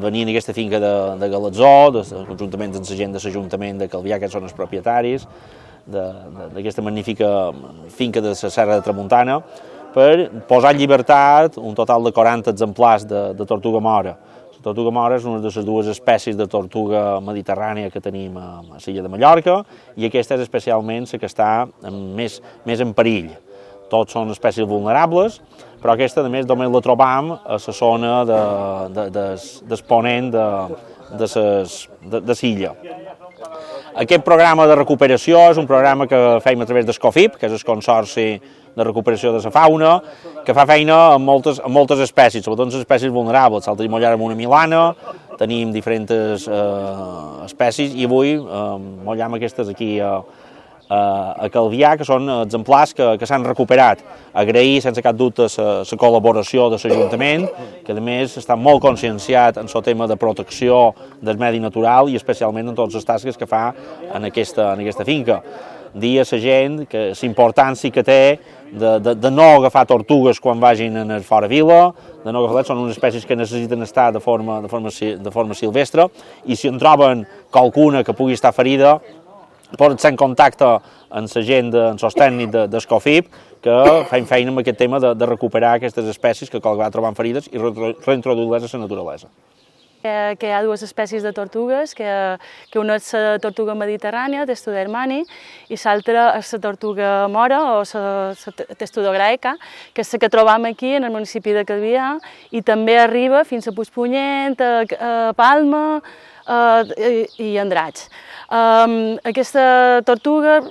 venien a aquesta finca de Galatzó, conjuntament amb la gent de l'Ajuntament de Calvià, que són els propietaris d'aquesta magnífica finca de la Serra de Tramuntana, per posar en llibertat un total de 40 exemplars de tortuga mora. La tortuga mora és una de les dues espècies de tortuga mediterrània que tenim a l'illa de Mallorca, i aquesta és especialment la que està més en perill. Tots són espècies vulnerables, però aquesta, a més, només la trobam a la zona d'exponent de l'illa. Aquest programa de recuperació és un programa que fem a través d'Escofip, que és el Consorci de Recuperació de la Fauna, que fa feina amb moltes espècies, sobretot les espècies vulnerables. L'altre dia mollàrem una milana, tenim diferents espècies, i avui mollàrem aquestes aquí a Calvià, que són exemplars que s'han recuperat. Agrair sense cap dubte la col·laboració de l'Ajuntament, que a més està molt conscienciat en el tema de protecció del medi natural i especialment en totes les tasques que fa en aquesta finca. Dir a la gent que l'importància que té de no agafar tortugues quan vagin a fora vila, de no agafar, són unes espècies que necessiten estar de forma silvestre, i si en troben qualcuna que pugui estar ferida, poden estar en contacte amb la gent, amb els tècnics d'Escofip, que fem feina amb aquest tema de recuperar aquestes espècies que qualque vegada troben ferides i reintroduir-les a la naturalesa. Que hi ha dues espècies de tortugues, que una és la tortuga mediterrània, Testudermani, i l'altra és la tortuga mora, o la Testudograeca, que és la que trobam aquí en el municipi de Calvià, i també arriba fins a Puigpunyent, a Palma i Andratx. Aquesta tortuga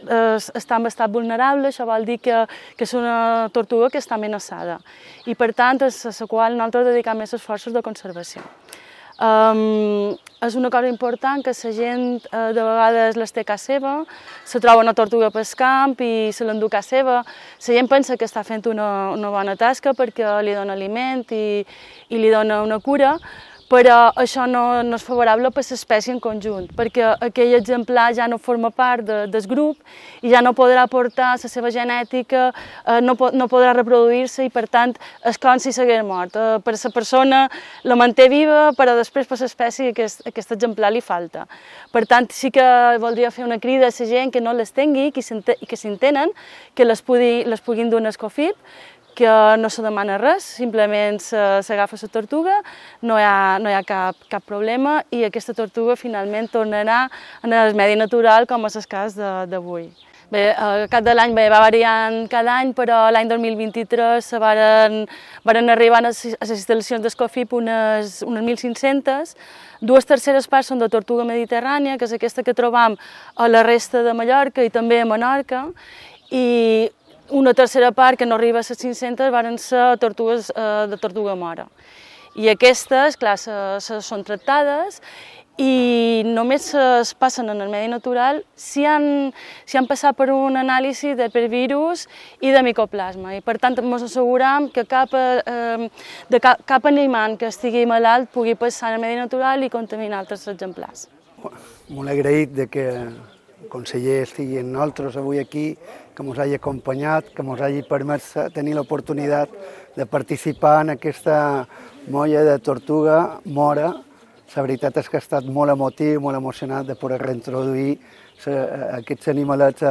està en estat vulnerable, això vol dir que és una tortuga que està amenaçada, i per tant és a la qual nosaltres dedicam més esforços de conservació. És una cosa important que la gent de vegades les té a casa seva, se troba una tortuga pel camp i se l'endú a casa seva. La gent pensa que està fent una bona tasca perquè li dona aliment i li dona una cura, però això no és favorable per l'espècie en conjunt, perquè aquell exemplar ja no forma part del grup i ja no podrà aportar la seva genètica, no podrà reproduir-se, i per tant és com si s'hagués mort. Per la persona la manté viva, però després per l'espècie aquest exemplar li falta. Per tant, sí que voldria fer una crida a la gent que no les tingui i que si en tenen, que les puguin dur a Escofip, que no se demana res, simplement s'agafa la tortuga, no hi ha cap problema, i aquesta tortuga finalment tornarà en el medi natural, com és el cas d'avui. Bé, al cap de l'any va variant cada any, però l'any 2023 varen arribar a les instal·lacions d'Escofip unes 1.500. 2/3 parts són de tortuga mediterrània, que és aquesta que trobam a la resta de Mallorca i també a Menorca, i una tercera part, que no arriba a les 500, van ser tortugues de tortuga mora. I aquestes, clar, són tractades i només es passen en el medi natural si han passat per un anàlisi de virus i de micoplasma. I per tant ens asseguram que cap animal que estigui malalt pugui passar en el medi natural i contaminar altres exemplars. Molt agraït que el conseller estigui amb nosaltres avui aquí, que ens hagi acompanyat, que ens hagi permès tenir l'oportunitat de participar en aquesta molla de tortuga mora. La veritat és que ha estat molt emotiu, molt emocionat de poder reintroduir aquests animalets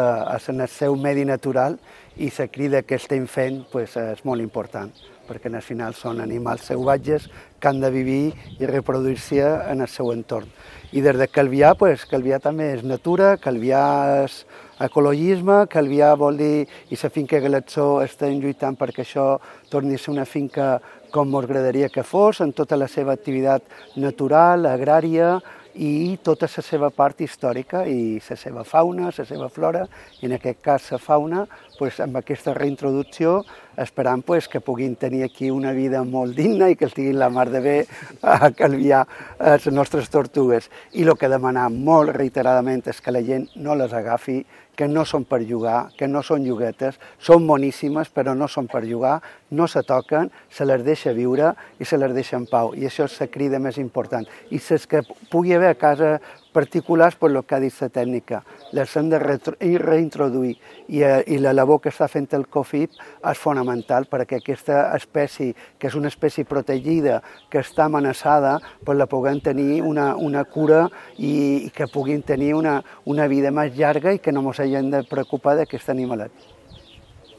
en el seu medi natural, i la crida que estem fent és molt important, perquè al final són animals salvatges que han de viure i reproduir-se en el seu entorn. I des de Calvià, Calvià també és natura, Calvià és ecologisme, Calvià vol dir, i la finca Galatzó estem lluitant perquè això torni a ser una finca com ens agradaria que fos, en tota la seva activitat natural, agrària, i tota la seva part històrica i la seva fauna, la seva flora, i en aquest cas la fauna, amb aquesta reintroducció esperam que puguin tenir aquí una vida molt digna i que estiguin la mar de bé a Calvià les nostres tortugues. I el que demanem molt reiteradament és que la gent no les agafi, que no són per jugar, que no són lloguetes, són boníssimes però no són per jugar, no se toquen, se les deixa viure i se les deixa en pau, i això és la crida més important. I si és que pugui haver a casa particulars per el que ha dit la tècnica. Les hem de reintroduir i la labor que està fent el COFIP és fonamental perquè aquesta espècie, que és una espècie protegida, que està amenaçada, pues la puguem tenir una cura i que puguin tenir una vida més llarga i que no ens hagin de preocupar d'aquest animalet.